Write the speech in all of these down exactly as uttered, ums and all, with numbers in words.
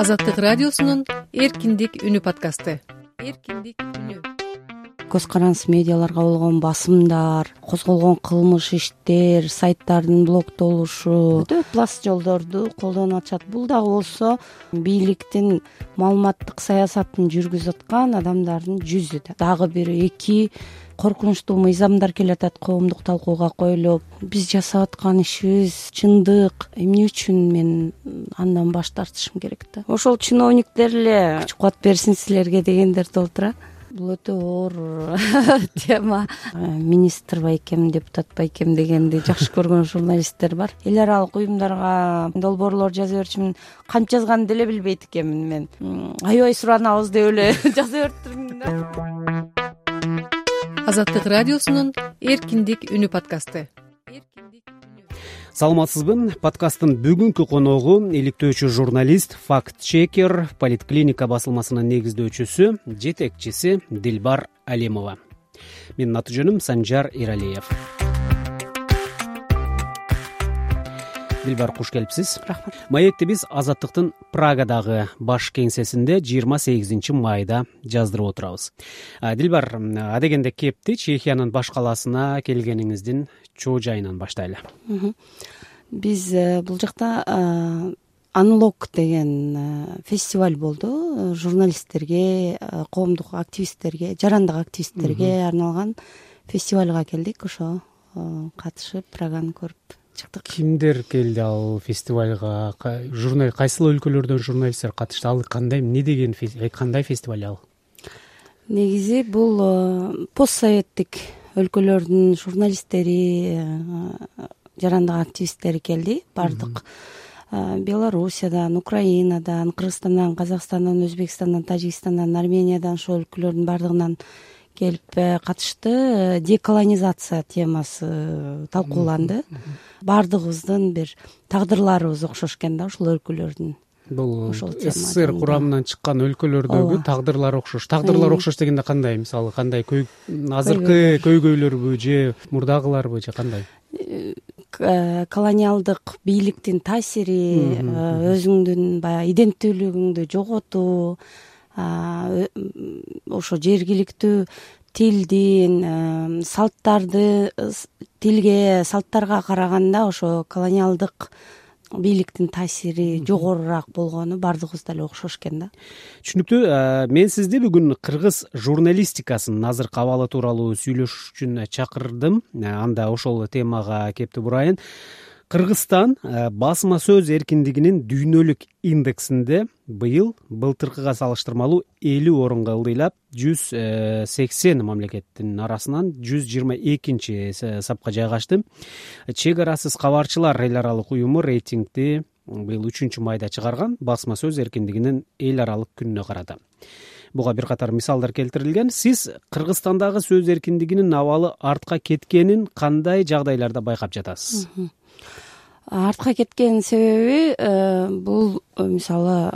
Азаттык радиосунун эркиндик үнү подкасты. Эркиндик үнү. Көз карандысыз медиаларга болгон басымдар, козголгон кылмыш иштер, сайттардын блоктолушу, өтө пласт жолдорду колдонуп атышат. Бул дагы болсо бийликтин маалыматтык саясатын жүргүзүп аткан адамдардын жүзү да. Дагы бир эки коркунучтуу мыйзамдар келатат коомдук талкууга коюлуп. Биз жасап аткан ишибиз чындык, эмне үчүн мен андан баш тартышым керек да. Ошол чиновниктер эле күч кубат берсин силерге дегендер толтура. Бул өтө оор тема. Министр байкем, депутат байкем дегенди жакшы көргөн журналисттер бар. Эл аралык уюмдарга долбоорлор жаза берчүмүн. Кантип жазганымды деле билбейт экенмин мен. Аябай суранабыз деп эле жаза бериптирмин да. Азаттык радиосунун эркиндик үнү подкасты. Саламатсызбы? Подкасттын бүгүнкү коногу иликтөөчү журналист, факт-чекер, Политклиника басылмасынын негиздөөчүсү, жетекчиси Дилбар Алимова. Менин аты жөнүм Санжар Иралиев. Дилбар, куш келипсиз. Рахмат. Маекти биз Азаттыктын Прагадагы баш кеңсесинде жыйырма сегизинчи майда жаздырып отурабыз. Дилбар, адегенде кепти Чехиянын баш калаасына келгениңиздин чоо жайынан баштайлы. Биз бул жакта Unlock деген фестиваль болду. Журналисттерге, коомдук активисттерге, жарандык активисттерге арналган фестивалга келдик. Ошо катышып, Праганы көрүп чыктык. Кимдер келди ал фестивалга? Журнал кайсыл өлкөлөрдөн журналисттер катышты? Ал кандай, эмне деген, кандай фестиваль ал? Негизи бул постсоветтик өлкөлөрдүн журналисттери, жарандык активисттери келди. Бардык Белоруссиядан, Украинадан, Кыргызстандан, Казакстандан, Өзбекстандан, Тажикстандан, Армениядан, ошол өлкөлөрдүн бардыгынан келип катышты. Деколонизация темасы талкууланды. Бардыгыбыздын бир тагдырларыбыз окшош экен да ошол өлкөлөрдүн. Бул СССР курамынан чыккан өлкөлөрдөгү тагдырлар окшош. Тагдырлар окшош дегенде кандай? Мисалы, кандай азыркы көйгөйлөрбү же мурдагыларбы же кандай? Колониалдык бийликтин таасири, өзүңдүн баягы иденттүүлүгүңдү жоготуу, ошо жергиликтүү тилдин, салттарды, тилге, салттарга караганда ошо колониалдык бийликтин таасири жогорурак болгону бардыгыбызда эле окшош экен да. Түшүнүктүү. Мен сизди бүгүн кыргыз журналистикасынын азыркы абалы тууралуу сүйлөшүш үчүн чакырдым. Анда ошол темага кепти бурайын. Кыргызстан басма сөз эркиндигинин дүйнөлүк индексинде быйыл былтыркыга салыштырмалуу элүү орунга ылдыйлап, жүз сексен мамлекеттин арасынан жүз жыйырма экинчи сапка жайгашты. Чек арасыз кабарчылар эл аралык уюму рейтингди быйыл үчүнчү майда чыгарган басма сөз эркиндигинин эл аралык күнүнө карады. Буга бир катар мисалдар келтирилген. Сиз Кыргызстандагы сөз эркиндигинин абалы артка кеткенин кандай жагдайларда байкап жатасыз? Артка кеткен себеби бул мисалы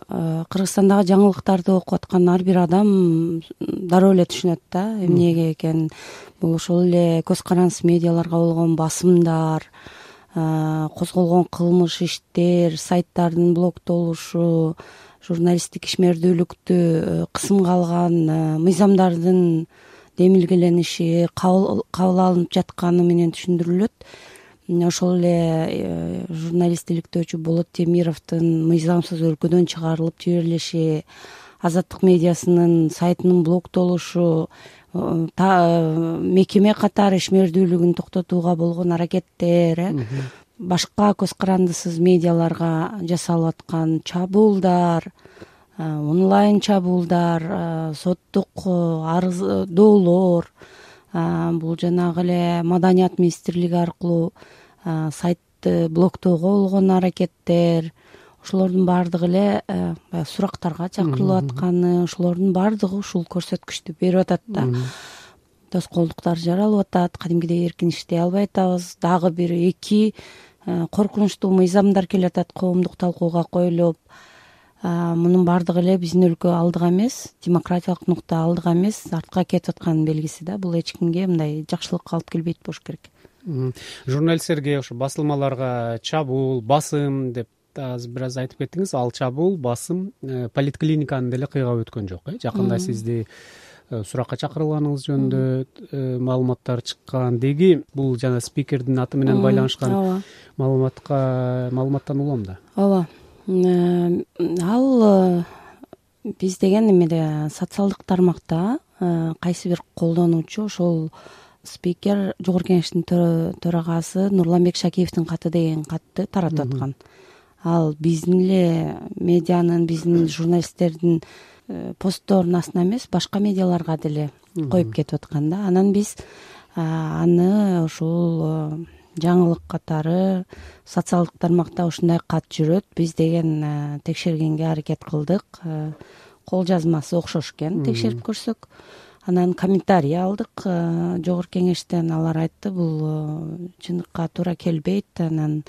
Кыргызстандагы жаңылыктарды окуп аткан ар бир адам дароо эле түшүнөт да эмнеге экен. Бул ошол эле көз карандысыз медиаларга болгон басымдар, козголгон кылмыш иштер, сайттардын блоктолушу, журналисттик ишмердүүлүктү кысымга алган мыйзамдардын демилгелениши, кабыл алынып жатканы менен түшүндүрүлөт. Ошол эле журналист иликтөөчү Болот Темировдун мыйзамсыз өлкөдөн чыгарылып жиберилиши, Азаттык медиасынын сайтынын блоктолушу, мекеме катары ишмердүүлүгүн токтотууга болгон аракеттер, башка көз карандысыз медиаларга жасалып аткан чабуулдар, онлайн чабуулдар, соттук арыздоолор, бул жанагы эле Маданият министрлиги аркылуу сайтты блоктоого болгон аракеттер, ошолордун баардыгы эле баягы сурактарга чакырылып атканы, ошолордун баардыгы ушул көрсөткүчтү берип атат да. Тоскоолдуктар жаралып атат, кадимгидей эркин иштей албай атабыз. Дагы бир эки коркунучтуу мыйзамдар келатат коомдук талкууга коюлуп. Мунун баардыгы эле биздин өлкө алдыга эмес, демократиялык нукта алдыга эмес, артка кетип атканын белгиси да. Бул эч кимге мындай жакшылыкка алып келбейт болуш керек. Журналисттерге, ошо басылмаларга чабуул, басым деп азыр бир аз айтып кеттиңиз, ал чабуул, басым поликлиниканы деле кыйгап өткөн жок э жакында сизди суракка чакырылганыңыз жөнүндө маалыматтар чыккан. Деги бул жана спикердин аты менен байланышкан маалыматка маалыматтан улам да. Ооба, ал биз деген эмеде социалдык тармакта кайсы бир колдонуучу ошол спикер жогорку кеңештин төрагасы Нурланбек Шакиевдин каты деген катты таратып аткан. Ал биздин эле медианын, биздин журналисттердин постторунун астына эмес, башка медиаларга деле коюп кетип аткан да. Анан биз аны ушул жаңылык катары социалдык тармакта ушундай кат жүрөт, биз деген текшергенге аракет кылдык. Кол жазмасы окшош экен, текшерип көрсөк. Анан комментарий алдык жогорку кеңештен. Алар айтты, бул чындыкка туура келбейт, анан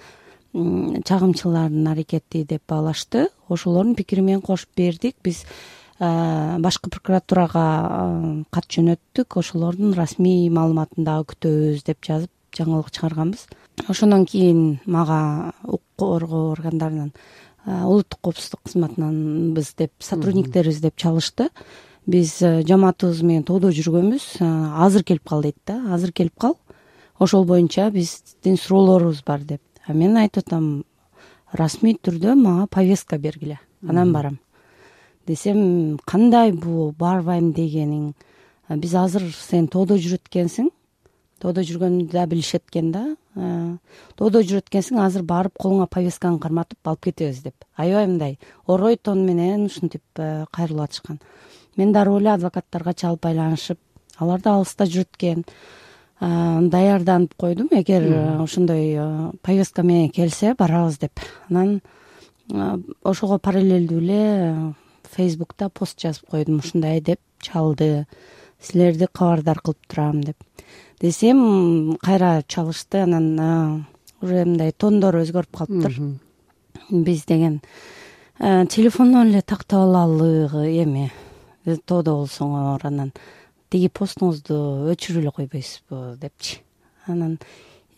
чагымчылардын аракети деп баалашты. Ошолордун пикири менен кошуп бердик. Биз башкы прокуратурага кат жөнөттүк, ошолордун расмий маалыматын дагы күтөбүз деп жазып жаңылык чыгарганбыз. Ошондон кийин мага укук коргоо органдарынан, улуттук коопсуздук кызматынан биз деп сотрудниктерибиз деп чалышты. Биз жамаатыбыз менен тоодо жүргөнбүз, азыр келип кал дейт да, азыр келип кал, ошол боюнча биздин суроолорубуз бар деп. А мен айтып атам, расмий түрдө мага повестка бергиле, анан барам десем, кандай бул барбайм дегениң, биз азыр сен тоодо жүрөт экенсиң, тоодо жүргөнүмдү да билишет экен да, тоодо жүрөт экенсиң, азыр барып колуңа повестканы карматып алып кетебиз деп. Аябай мындай орой тон менен ушинтип кайрылып атышкан. Мен дароо эле адвокаттарга чалып байланышып, алар да алыста жүрөт экен, даярданып койдум, эгер ошондой повестка менен келсе барабыз деп. Анан ошого параллелдүү эле Фейсбукта пост жазып койдум, ушундай деп чалды, силерди кабардар кылып турам деп. Десем, кайра чалышты, анан уже мындай тондор өзгөрүп калыптыр. Биз деген телефондон эле тактап алалы эми тоодо болсоңор, анан тиги постуңузду өчүрүп эле койбойсузбу депчи. Анан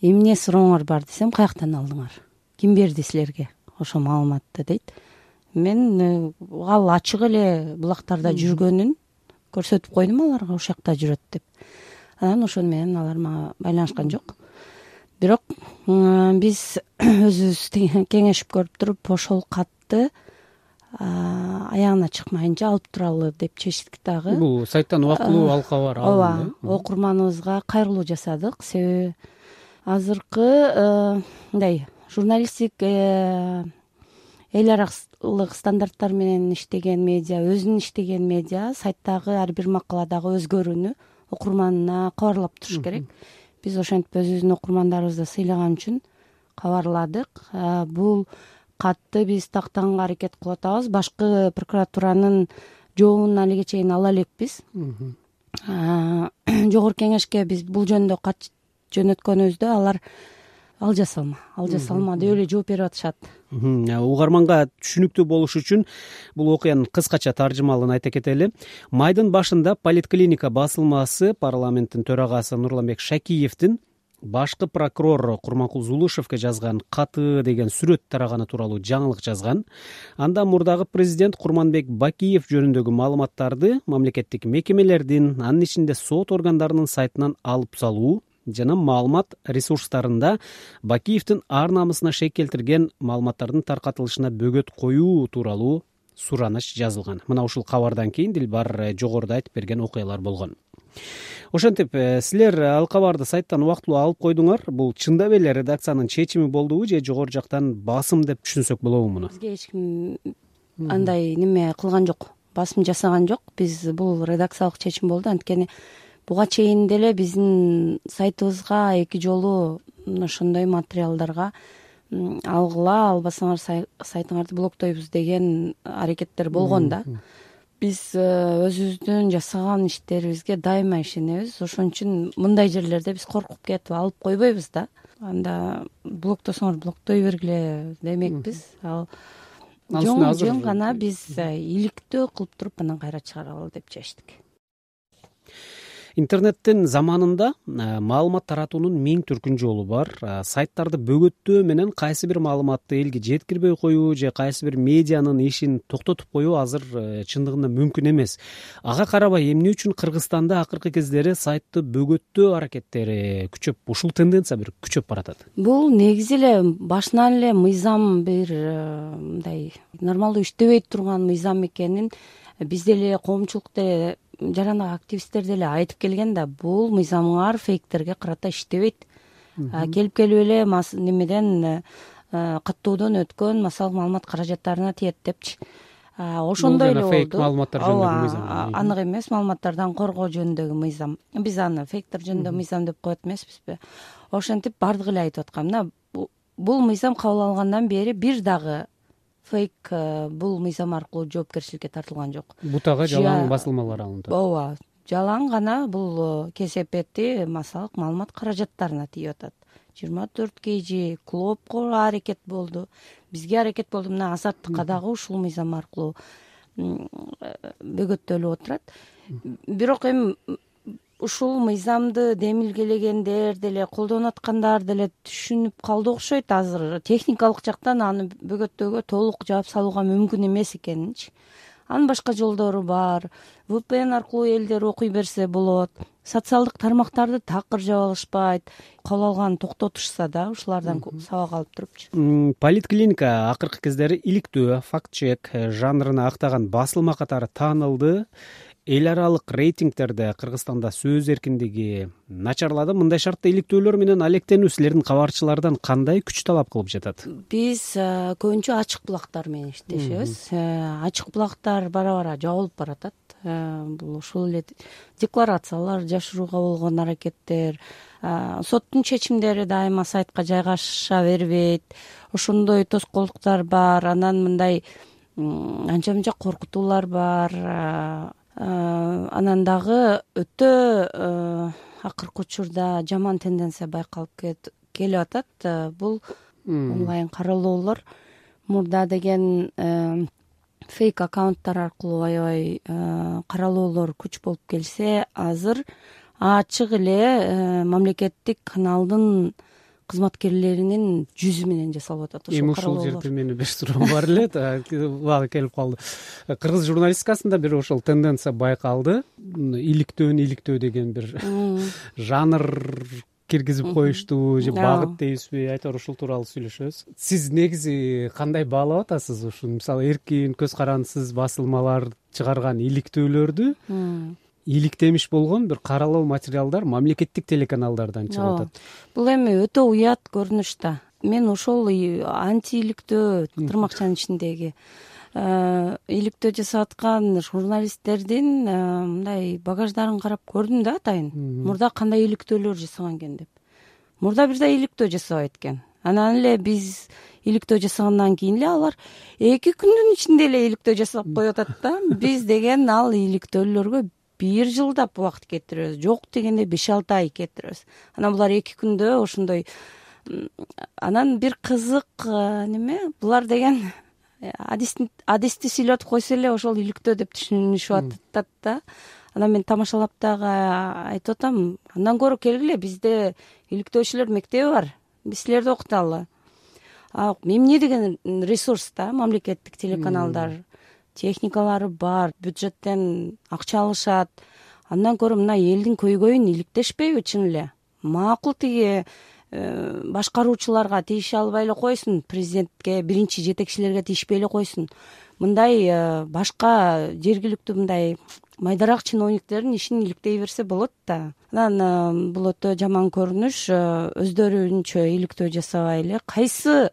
эмне сурооңор бар десем, каяктан алдыңар, ким берди силерге ошол маалыматты дейт. Мен ал ачык эле булактарда жүргөнүн көрсөтүп койдум аларга, ошол жакта жүрөт деп. Анан ошону менен алар мага байланышкан жок. Бирок биз өзүбүз кеңешип көрүп туруп ошол катты аягына чыкмайынча алып туралы деп чечтик дагы. Бул сайттан убактылуу ал кабар алынды. Ооба, окурманыбызга кайрылуу жасадык. Себеби азыркы мындай журналистик эл аралык стандарттар менен иштеген медиа, өзүнүн иштеген медиа сайттагы ар бир макаладагы өзгөрүүнү окурманына кабарлап туруш керек. Биз ошентип өзүбүздүн окурмандарыбызды сыйлаган үчүн кабарладык. Бул катты биз тактаганга аракет кылып атабыз. Башкы прокуратуранын жообун алиге чейин ала элекпиз. Жогорку кеңешке биз бул жөнүндө кат жөнөткөнүбүздө алар ал жасалма, ал жасалма деп эле жооп берип атышат. Угарманга түшүнүктүү болуш үчүн бул окуянын кыскача таржымалын айта кетели. Майдын башында поликлиника басылмасы парламенттин төрагасы Нурланбек Шакиевдин башкы прокурор Курманкул Зулушевке жазган каты деген сүрөт тараганы тууралуу жаңылык жазган. Анда мурдагы президент Курманбек Бакиев жөнүндөгү маалыматтарды мамлекеттик мекемелердин, анын ичинде сот органдарынын сайтынан алып салуу жана маалымат ресурстарында Бакиевдин ар намысына шек келтирген маалыматтардын таркатылышына бөгөт коюу тууралуу сураныч жазылган. Мына ушул кабардан кийин Дилбар жогоруда айтып берген окуялар болгон. Ошентип, силер ал кабарды сайттан убактылуу алып койдуңар. Бул чындап эле редакциянын чечими болдубу же жогору жактан басым деп түшүнсөк болобу муну? Бизге эч ким андай неме кылган жок, басым жасаган жок. Биз бул редакциялык чечим болду. Анткени буга чейин деле биздин сайтыбызга эки жолу ошондой материалдарга алгыла, албасаңар сайтыңарды блоктойбуз деген аракеттер болгон да. Биз өзүбүздүн жасаган иштерибизге дайыма ишенебиз. Ошон үчүн мындай жерлерде биз коркуп кетип алып койбойбуз да. Анда блоктосоңор блоктой бергиле демекпиз. Ал жөн гана биз иликтөө кылып туруп анан кайра чыгаралы деп чечтик. интернеттин заманында маалымат таратуунун миң түркүн жолу бар. Сайттарды бөгөттөө менен кайсы бир маалыматты элге жеткирбей коюу же кайсы бир медианын ишин токтотуп коюу азыр чындыгында мүмкүн эмес. Ага карабай эмне үчүн Кыргызстанда акыркы кездери сайтты бөгөттөө аракеттери күчөп, ушул тенденция бир күчөп баратат? Бул негизи эле башынан эле мыйзам бир мындай нормалдуу иштебей турган мыйзам экенин биз деле коомчулук деле жарандык активисттер деле айтып келген да, бул мыйзамыңар фейктерге карата иштебейт. Келип келип эле немеден каттоодон өткөн массалык маалымат каражаттарына тиет депчи. Ошондой эле болду. Фейк маалыматтар жөнүндөгү мыйзам. Анык эмес, маалыматтардан коргоо жөнүндөгү мыйзам. Биз аны фейктер жөнүндөгү мыйзам деп коет эмеспизби? Ошентип бардыгы эле айтып аткан. Мына бул мыйзам кабыл алынгандан бери бир дагы фейк бул мыйзам аркылуу жоопкерчиликке тартылган жок. Бутага жалаң басылмалар алынды. Ооба, жалаң гана бул кесепети массалык маалымат каражаттарына тийип атат. жыйырма төрт кей жи Клопко аракет болду, бизге аракет болду. Мына Азаттыкка дагы ушул мыйзам аркылуу бөгөттөлүп отурат. Бирок эми ушул мыйзамды демилгелегендер деле, колдонуп аткандар деле түшүнүп калды окшойт. Азыр техникалык жактан аны бөгөттөөгө толук жаап салууга мүмкүн эмес экенинчи. Анын башка жолдору бар. ви пи эн аркылуу элдер окуй берсе болот. Социалдык тармактарды такыр жаап алышпайт. Кабыл алганын токтотушса да, ушулардан сабак алып турупчу. Политклиника акыркы кездери иликтөө, факт-чек жанрына актаган басылма катары таанылды. Эл аралык рейтингтерде Кыргызстанда сөз эркиндиги начарлады. Мындай шартта иликтөөлөр менен алектенүү силердин кабарчылардан кандай күч талап кылып жатат? Биз көбүнчө ачык булактар менен иштешебиз. Ачык булактар бара-бара жабылып баратат. Бул ушул эле декларациялар жашырууга болгон аракеттер, соттун чечимдери дайыма сайтка жайгаша бербейт. Ошондой тоскоолдуктар бар. Анан мындай анча-мынча коркутуулар бар. Анан дагы өтө акыркы учурда жаман тенденция байкалып келип атат. Бул онлайн каралоолор. Мурда деген фейк аккаунттар аркылуу аябай каралоолор күч болуп келсе, азыр ачык эле мамлекеттик каналдын кызматкерлеринин жүзү менен жасалып атат. Эми ушул жерде менин бир суроом бар эле, убагы келип калды. Кыргыз журналистикасында бир ошол тенденция байкалды. Иликтөөнү иликтөө деген бир жанр киргизип коюшту же багыт дейбизби, айтор ушул тууралуу сүйлөшөбүз. Сиз негизи кандай баалап атасыз ушул, мисалы, эркин, көз карандысыз басылмалар чыгарган иликтөөлөрдү? Иликтемиш болгон бир каралоо материалдар мамлекеттик телеканалдардан чыгып атат. Бул эми өтө уят көрүнүш да. Мен ошол антииликтөө тырмакчанын ичиндеги иликтөө жасап аткан журналисттердин мындай багаждарын карап көрдүм да атайын. Мурда кандай иликтөөлөр жасаган экен деп. Мурда бир да иликтөө жасабайт экен. Анан эле биз иликтөө жасагандан кийин эле алар эки күндүн ичинде эле иликтөө жасап коюп атат да. Биз деген ал иликтөөлөргө бир жылдап убакыт кетиребиз, жок дегенде беш алты ай кетиребиз. Анан булар эки күндө ошондой. Анан бир кызык неме, булар деген адисти сүйлөтүп койсо эле ошол иликтөө деп түшүнүшүп атат да. Анан мен тамашалап дагы айтып атам, андан көрө келгиле, бизде иликтөөчүлөр мектеби бар, биз силерди окуталы. Эмне деген ресурс да, мамлекеттик телеканалдар, техникалары бар, бюджеттен акча алышат. Андан көрө мына элдин көйгөйүн иликтешпейби чын эле? Макул тиги башкаруучуларга тийише албай эле койсун, президентке, биринчи жетекчилерге тийишпей эле койсун. Мындай башка жергиликтүү мындай майдараак чиновниктердин ишин иликтей берсе болот да. Анан бул өтө жаман көрүнүш. Өздөрүнчө иликтөө жасабай эле кайсы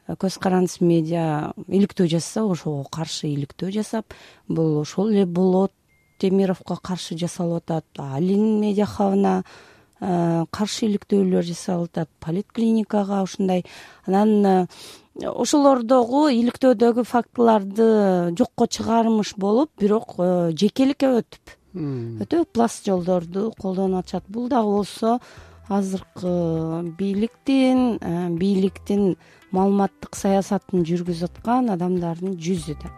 көз карандысыз медиа иликтөө жасаса, ошого каршы иликтөө жасап, бул ошол эле Болот Темировго каршы жасалып атат, Алин медиа хабына каршы иликтөөлөр жасалып атат, политклиникага ушундай. Анан ошолордогу иликтөөдөгү фактыларды жокко чыгармыш болуп, бирок жекеликке өтүп, өтө пласт жолдорду колдонуп атышат. Бул дагы болсо азыркы бийликтин бийликтин маалыматтык саясатын жүргүзүп аткан адамдардын жүзү да.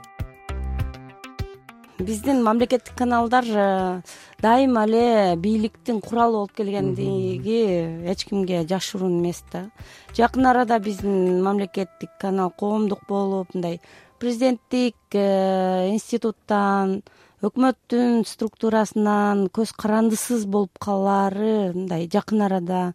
биздин мамлекеттик каналдар дайыма эле бийликтин куралы болуп келгендиги эч кимге жашыруун эмес да. Жакын арада биздин мамлекеттик канал коомдук болуп, мындай президенттик институттан, өкмөттүн структурасынан көз карандысыз болуп калаары мындай жакын арада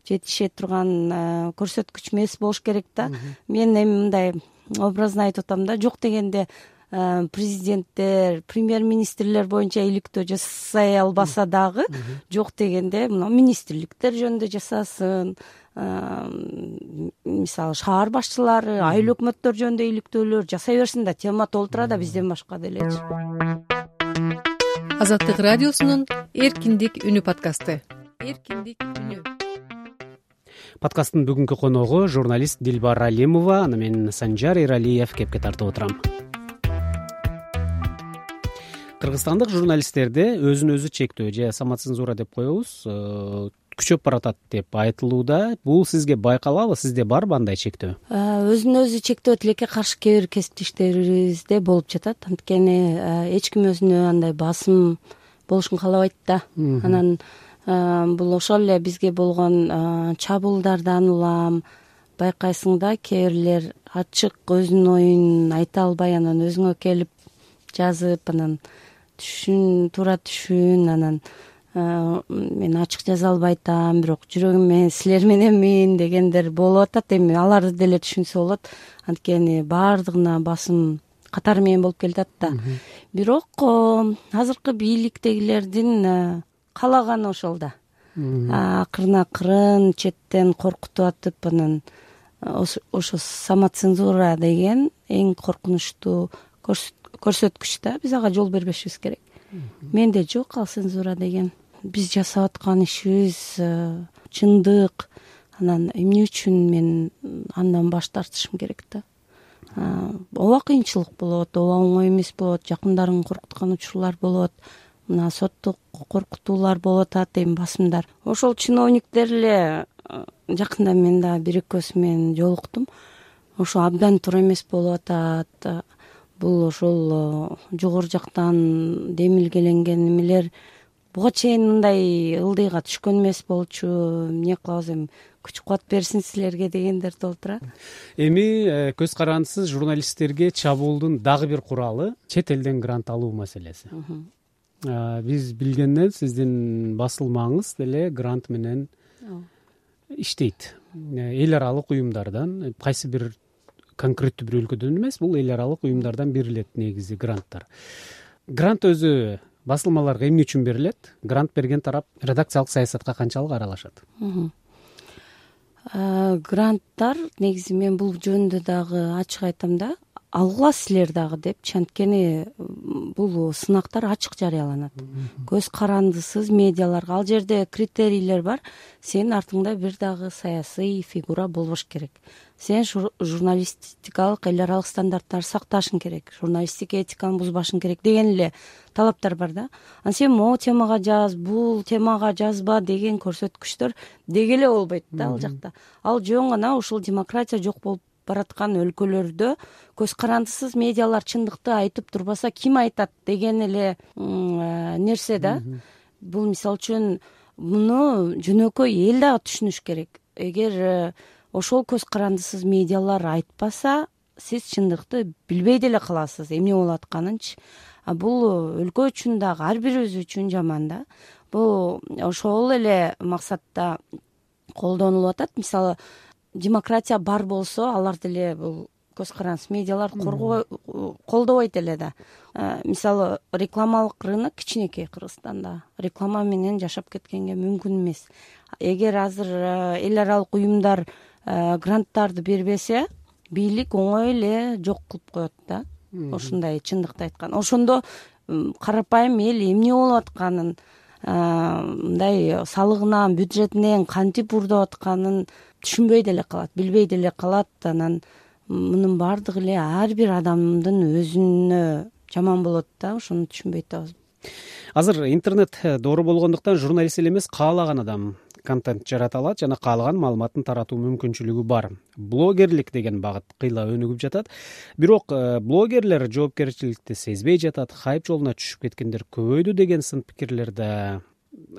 жетише турган көрсөткүч эмес болуш керек да. Мен эми мындай образно айтып атам да, жок дегенде президенттер, премьер-министрлер боюнча иликтөө жасай албаса дагы, жок дегенде мына министрликтер жөнүндө жасасын, мисалы шаар башчылары, айыл өкмөттөр жөнүндө иликтөөлөр жасай берсин да, тема толтура да бизден башка делечи. Азаттык радиосунун Эркиндик үнү подкасты. Эркиндик үнү. Подкасттын бүгүнкү коногу журналист Дилбар Алимова, аны мен Санжар Эралиев кепке тартып отурам. Кыргызстандык журналисттерде өзүн өзү чектөө же самоцензура деп коебуз күчөп баратат деп айтылууда. Бул сизге байкалабы? Сизде барбы андай чектөө? Өзүн өзү чектөө тилекке каршы кээ бир кесиптештерибизде болуп жатат. Анткени эч ким өзүнө андай басым болушун каалабайт да. Анан бул ошол эле бизге болгон чабуулдардан улам байкайсың да, кээ бирлер ачык өзүнүн оюн айта албай анан өзүңө келип жазып, анан түшүн туура түшүн, анан мен ачык жаза албай атам, бирок жүрөгүм менен силер мененмин дегендер болуп атат. Эми аларды деле түшүнсө болот, анткени баардыгына басым катары менен болуп келатат да. Бирок азыркы бийликтегилердин каалаганы ошол да. Акырын акырын четтен коркутуп атып, анан ошо самоцензура деген эң коркунучтуу көрсөткүч да. Биз ага жол бербешибиз керек. Менде жок ал цензура деген. Биз жасап аткан ишибиз чындык. Анан эмне үчүн мен андан баш тартышым керек да. Ооба кыйынчылык болот, ооба оңой эмес болот, жакындарын коркуткан учурлар болот, мына соттук коркутуулар болуп атат, эми басымдар. Ошол чиновниктер эле жакында мен да бир экөөсү менен жолуктум. Ошо абдан туура эмес болуп атат. Бул ошол жогору жактан демилгеленген эмелер буга чейин мындай ылдыйга түшкөн эмес болчу. Эмне кылабыз эми, күч кубат берсин силерге дегендер толтура. Эми көз карандысыз журналисттерге чабуулдун дагы бир куралы чет элден грант алуу маселеси. Биз билгенден сиздин басылмаңыз деле грант менен иштейт. Эл аралык уюмдардан, кайсы бир конкреттүү бир өлкөдөн эмес, бул эл аралык уюмдардан берилет негизи гранттар. Грант өзү басылмаларга эмне үчүн берилет? Грант берген тарап редакциялык саясатка канчалык аралашат? Гранттар негизи мен бул жөнүндө дагы ачык айтам да, алгыла силер дагы депчи, анткени бул сынактар ачык жарыяланат. Көз карандысыз медиаларга ал жерде критерийлер бар. Сенин артыңда бир дагы саясий фигура болбош керек. Сен журналистикалык эл аралык стандарттарды сакташың керек, журналистик этиканы бузбашың керек деген эле талаптар бар да. Анан сен могу темага жаз, бул темага жазба деген көрсөткүчтөр деги эле болбойт да ал жакта. Ал жөн гана ушул демократия жок болуп бараткан өлкөлөрдө көз карандысыз медиалар чындыкты айтып турбаса ким айтат деген эле нерсе да. Бул мисалы үчүн муну жөнөкөй эл дагы түшүнүш керек. Эгер ошол көз карандысыз медиалар айтпаса, сиз чындыкты билбей деле каласыз, эмне болуп атканынчы. А бул өлкө үчүн дагы, ар бирибиз үчүн жаман да. Бул ошол эле максатта колдонулуп атат. Мисалы, демократия бар болсо, алар деле бул көз карандысыз медиалар колдобойт эле да. Мисалы, рекламалык рынок кичинекей Кыргызстанда. Реклама менен жашап кеткенге мүмкүн эмес. Эгер азыр эл аралык уюмдар гранттарды бербесе, бийлик оңой эле жок кылып коет да. Ошондой чындыкты айткан. Ошондо карапайым эл эмне болуп атканын, мындай салыгынан, бюджетинен кантип урдап атканын түшүнбөй деле калат, билбей деле калат. Анан мунун баардыгы эле ар бир адамдын өзүнө жаман болот да, ошону түшүнбөй атабыз. Азыр интернет доору болгондуктан журналист эле эмес, каалаган адам контент жарата алат жана каалаган маалыматын таратуу мүмкүнчүлүгү бар. Блогерлик деген багыт кыйла өнүгүп жатат. Бирок блогерлер жоопкерчиликти сезбей жатат, хайп жолуна түшүп кеткендер көбөйдү деген сын пикирлер да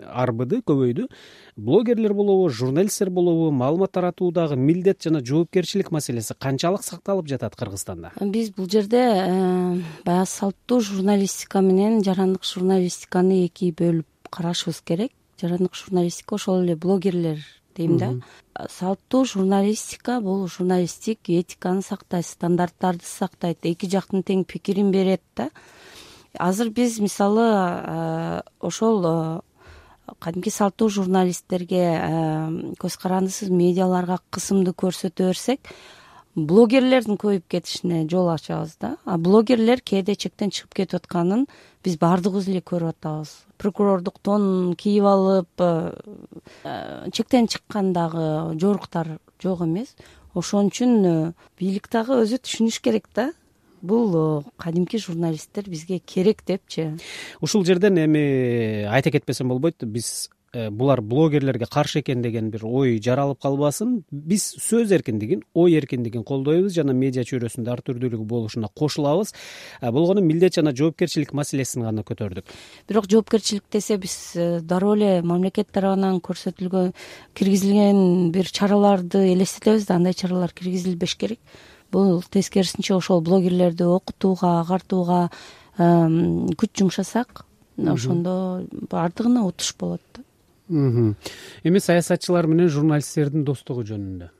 арбыды, көбөйдү. Блогерлер болобу, журналисттер болобу, маалымат таратуудагы милдет жана жоопкерчилик маселеси канчалык сакталып жатат Кыргызстанда? Биз бул жерде баягы салттуу журналистика менен жарандык журналистиканы эки бөлүп карашыбыз керек. Жарандык журналистика ошол эле блогерлер дейм да. Салттуу журналистика бул журналисттик этиканы сактайт, стандарттарды сактайт, эки жактын тең пикирин берет да. Азыр биз мисалы ошол кадимки салттуу журналисттерге, көз карандысыз медиаларга кысымды көрсөтө берсек, блогерлердин көбөйүп кетишине жол ачабыз да. А блогерлер кээде чектен чыгып кетип атканын биз баардыгыбыз эле көрүп атабыз. Прокурордук тонун кийип алып, чектен чыккан дагы жоруктар жок эмес. Ошон үчүн бийлик дагы өзү түшүнүш керек да. Бул кадимки журналисттер бизге керек депчи. Ушул жерден эми айта кетпесем болбойт, биз булар блогерлерге каршы экен деген бир ой жаралып калбасын. Биз сөз эркиндигин, ой эркиндигин колдойбуз жана медиа чөйрөсүндө ар түрдүүлүк болушуна кошулабыз. Болгону милдет жана жоопкерчилик маселесин гана көтөрдүк. Бирок жоопкерчилик десе биз дароо эле мамлекет тарабынан көрсөтүлгөн, киргизилген бир чараларды элестетебиз да, андай чаралар киргизилбеш керек. Бул тескерисинче ошол блогерлерди окутууга, агартууга күч жумшасак, ошондо баардыгына утуш болот да. Эми саясатчылар менен журналисттердин достугу жөнүндө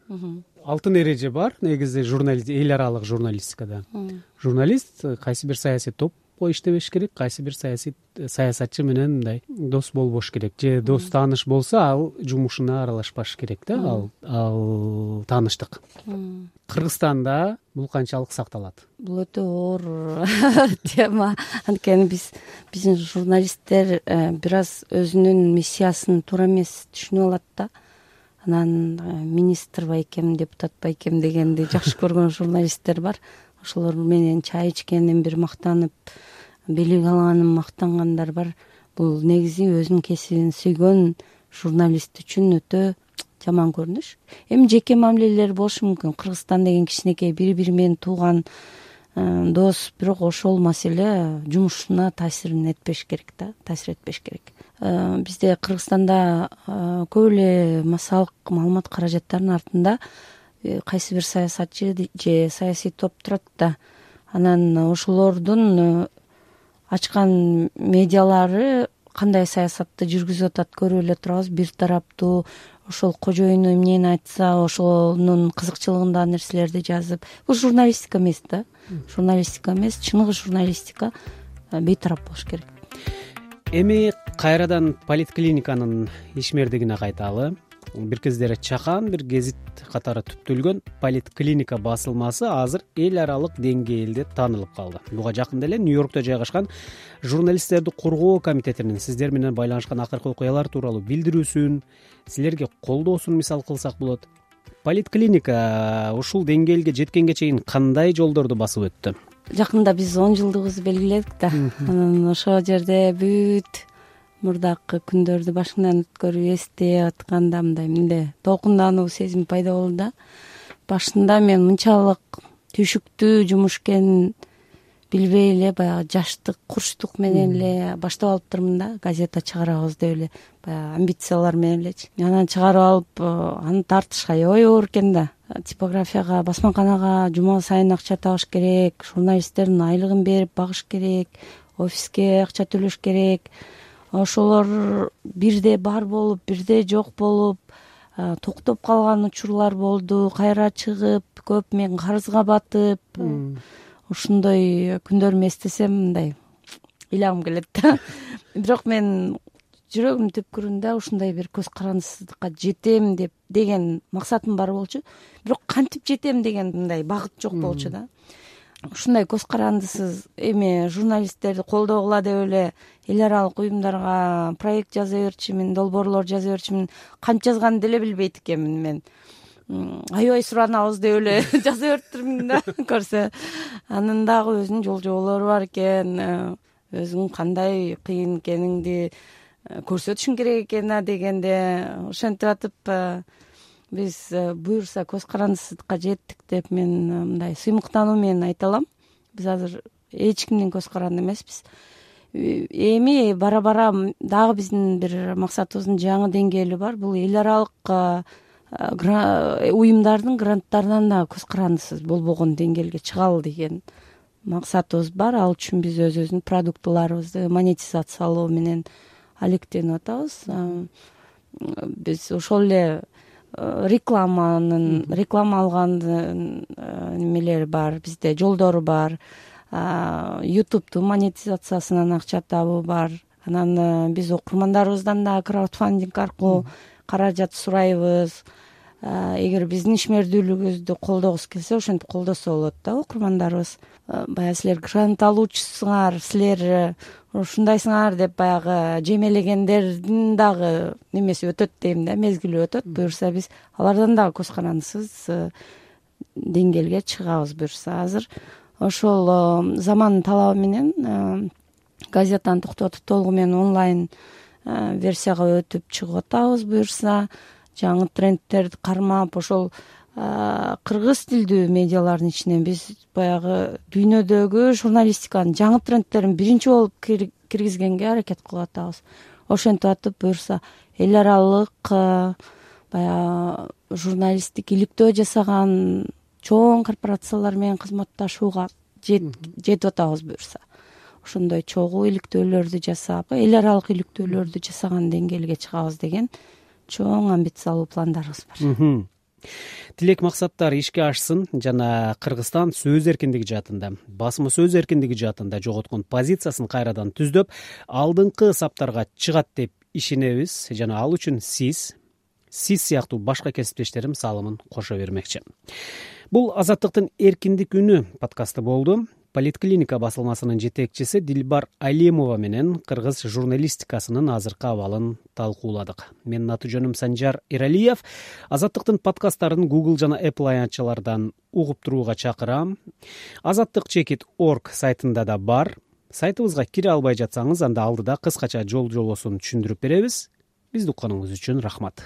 алтын эреже бар негизи журналист, эл аралык журналистикада. Журналист кайсы бир саясий топко иштебеш керек, кайсы бир саясий саясатчы менен мындай дос болбош керек, же дос тааныш болсо ал жумушуна аралашпаш керек да, ал ал тааныштык. Кыргызстанда бул канчалык сакталат? Бул өтө оор тема. Анткени биз биздин журналисттер бир аз өзүнүн миссиясын туура эмес түшүнүп алат да. Анан министр байкем, депутат байкем дегенди жакшы көргөн журналисттер бар. Ошолор менен чай ичкенден бир мактанып, белек алганын мактангандар бар. Бул негизи өзүнүн кесибин сүйгөн журналист үчүн өтө жаман көрүнүш. Эми жеке мамилелер болушу мүмкүн. Кыргызстан деген кичинекей бири-бири менен тууган дос, бирок ошол маселе жумушуна таасирин этпеш керек да, таасир этпеш керек. Бизде Кыргызстанда көп эле массалык маалымат каражаттарынын артында кайсы бир саясатчы же саясий топ турат да. Анан ошолордун ачкан медиалары кандай саясатты жүргүзүп атат көрүп эле турабыз. Бир тараптуу, ошол кожоюну эмнени айтса ошонун кызыкчылыгындагы нерселерди жазып. Бул журналистика эмес да. Журналистика эмес, чыныгы журналистика бейтарап болуш керек. Эми кайрадан политклиниканын ишмердигине кайталы. Бир кездери чакан бир гезит катары түптөлгөн политклиника басылмасы азыр эл аралык деңгээлде таанылып калды. Буга жакында эле Нью-Йоркто жайгашкан журналисттерди коргоо комитетинин сиздер менен байланышкан акыркы окуялар тууралуу билдирүүсүн, силерге колдоосун мисал кылсак болот. Политклиника ушул деңгээлге жеткенге чейин кандай жолдорду басып өттү? Жакында биз он жылдыгыбызды белгиледик да. Анан ошол жерде бүт мурдакы күндөрдү башыңдан өткөрүп эстеп атканда мындай мындай толкундануу сезим пайда болду да. Башында мен мынчалык түйшүктүү жумуш экенин билбей эле баягы жаштык, курчтук менен эле баштап алыптырмын да. Газета чыгарабыз деп эле баягы амбициялар менен элечи. Анан чыгарып алып, аны тартышка аябай оор экен да. Типографияга, басмаканага жума сайын акча табыш керек, журналисттердин айлыгын берип багыш керек, офиске акча төлөш керек. Ошолор бирде бар болуп, бирде жок болуп, токтоп калган учурлар болду. Кайра чыгып, көп мен карызга батып, ушундой күндөрүмдү эстесем мындай ыйлагым келет да. Бирок мен жүрөгүмдүн түпкүрүндө ушундай бир көз карандысыздыкка жетем деп деген максатым бар болчу. Бирок кантип жетем деген мындай багыт жок болчу да. Ушундай көз карандысыз эми журналисттерди колдогула деп эле эл аралык уюмдарга проект жаза берчүмүн, долбоорлор жаза берчүмүн. Кантип жазганды деле билбейт экенмин мен. Аябай суранабыз деп эле жаза бериптирмин да көрсө. Анын дагы өзүнүн жол жоболору бар экен, өзүң кандай кыйын экениңди көрсөтүшүң керек экен а дегенде ошентип атып биз буюрса көз карандысыздыкка жеттик деп мен мындай сыймыктануу менен айта алам. Биз азыр эч кимдин көз каранды эмеспиз. Эми бара бара дагы биздин бир максатыбыздын жаңы деңгээли бар. Бул эл аралык уюмдардын гранттарынан да көз карандысыз болбогон деңгээлге чыгалы деген максатыбыз бар. Ал үчүн биз өзүбүздүн продуктыларыбызды монетизациялоо менен алектенип атабыз. Биз ошол эле рекламанын реклама алгандын немелери бар, бизде жолдору бар. Ютубтун монетизациясынан акча табуу бар. Анан биз окурмандарыбыздан да краудфандинг аркылуу каражат сурайбыз. Эгер биздин ишмердүүлүгүбүздү колдогусу келсе, ошентип колдосо болот да окурмандарыбыз. Баягы силер грант алуучусуңар, силер ушундайсыңар деп баягы жемелегендердин дагы немеси өтөт дейм да, мезгили өтөт. Буюрса биз алардан дагы көз карандысыз деңгээлге чыгабыз буюрса. Азыр ошол замандын талабы менен газетаны токтотуп толугу менен онлайн версияга өтүп чыгып атабыз буюрса. Жаңы трендтерди кармап, ошол кыргыз тилдүү медиалардын ичинен биз баягы дүйнөдөгү журналистиканын жаңы трендтерин биринчи болуп киргизгенге аракет кылып атабыз. Ошентип атып буюрса эл аралык баягы журналисттик иликтөө жасаган чоң корпорациялар менен кызматташууга жетип атабыз буюрса. Ошондой чогуу иликтөөлөрдү жасап, эл аралык иликтөөлөрдү жасаган деңгээлге чыгабыз деген чоң амбициялуу пландарыбыз бар. Тилек максаттар ишке ашсын жана Кыргызстан сөз эркиндиги жаатында, басма сөз эркиндиги жаатында жоготкон позициясын кайрадан түздөп, алдыңкы саптарга чыгат деп ишенебиз жана ал үчүн сиз сиз сыяктуу башка кесиптештерим салымын кошо бермекчи. Бул Азаттыктын эркиндик үнү подкасты болду. Политклиника басылмасынын жетекчиси Дилбар Алимова менен кыргыз журналистикасынын азыркы абалын талкууладык. Менин аты жөнүм Санжар Эралиев. Азаттыктын подкасттарын Google жана Apple аянтчалардан угуп турууга чакырам. азаттык чекит точка орг сайтында да бар. Сайтыбызга кире албай жатсаңыз, анда алдыда кыскача жол жобосун түшүндүрүп беребиз. Бизди укканыңыз үчүн рахмат.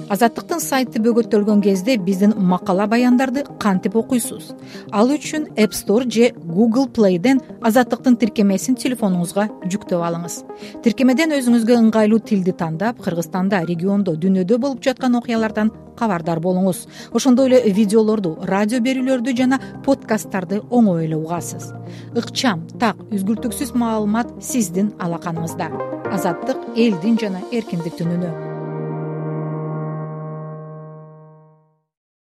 Азаттыктын сайты бөгөттөлгөн кезде биздин макала баяндарды кантип окуйсуз? Ал үчүн App Store же Google Play'ден Азаттыктын тиркемесин телефонуңузга жүктөп алыңыз. Тиркемеден өзүңүзгө ыңгайлуу тилди тандап, Кыргызстанда, региондо, дүйнөдө болуп жаткан окуялардан кабардар болуңуз. Ошондой эле видеолорду, радио берүүлөрдү жана подкасттарды оңой эле угасыз. Ыкчам, так, үзгүлтүксүз маалымат сиздин алаканыңызда. Азаттык элдин жана эркиндиктин үнү.